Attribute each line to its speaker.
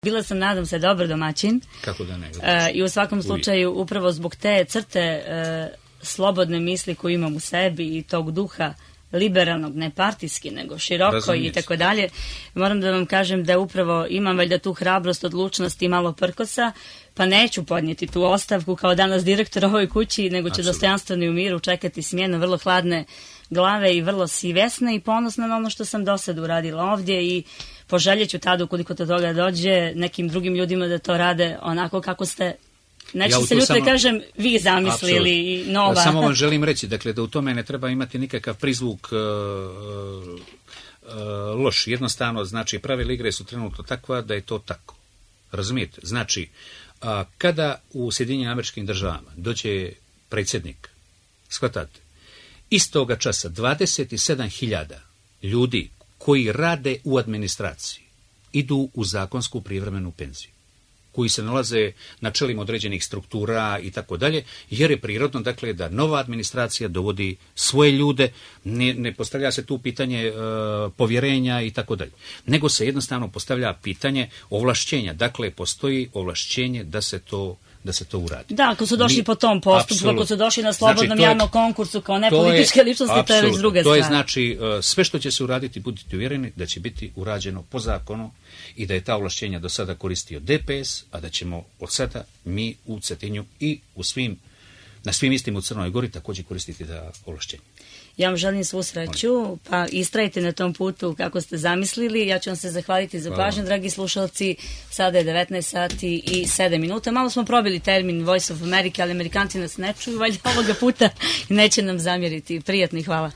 Speaker 1: Bila sam, nadam se, dobar domaćin.
Speaker 2: Kako da ne?
Speaker 1: I u svakom slučaju, upravo zbog te crte slobodne misli koju imam u sebi i tog duha liberalnog, ne partijski, nego široko i tako dalje, moram da vam kažem da upravo imam valjda tu hrabrost, odlučnost i malo prkosa, pa neću podnijeti tu ostavku kao danas direktor ovoj kući, nego ću dostojanstveno i u miru čekati smjenu vrlo hladne glave i vrlo svjesna i ponosna na ono što sam do sad uradila ovdje i poželjeću tada, ukoliko do toga dođe, nekim drugim ljudima da to rade onako kako ste, neću se ljuto kažem, vi zamislili i nova.
Speaker 2: Samo vam želim reći, dakle, da u tome ne treba imati nikakav prizvuk loš. Jednostavno, znači, pravila igre su trenutno takva da je to tako. Razumijete? Znači, kada u Sjedinjenim Američkim Državama dođe predsjednik, shvatate, istoga časa 27.000 ljudi koji rade u administraciji idu u zakonsku privremenu penziju, koji se nalaze na čelima određenih struktura i tako dalje, jer je prirodno, dakle, da nova administracija dovodi svoje ljude, ne postavlja se tu pitanje povjerenja i tako dalje, nego se jednostavno postavlja pitanje ovlašćenja. Dakle, postoji ovlašćenje da se to uradi.
Speaker 1: Da, ako su došli po tom postupku, ako su došli na slobodnom javnom konkursu kao nepolitičke ličnosti, to je već druga stvar.
Speaker 2: To je znači, sve što će se uraditi, budite uvjereni da će biti urađeno po zakonu i da je ta ovlašćenja do sada koristio DPS, a da ćemo od sada mi u Cetinju i na svim istim u Crnoj Gori također koristiti ta ovlašćenja.
Speaker 1: Ja vam želim svu sreću, pa istrajte na tom putu kako ste zamislili. Ja ću vam se zahvaliti za pažnju, dragi slušalci. Sada je 19 sati i 7 minuta. Malo smo probili termin Voice of America, ali Amerikanci nas ne čuju valjda ovoga puta i neće nam zamjeriti. Prijatno i hvala.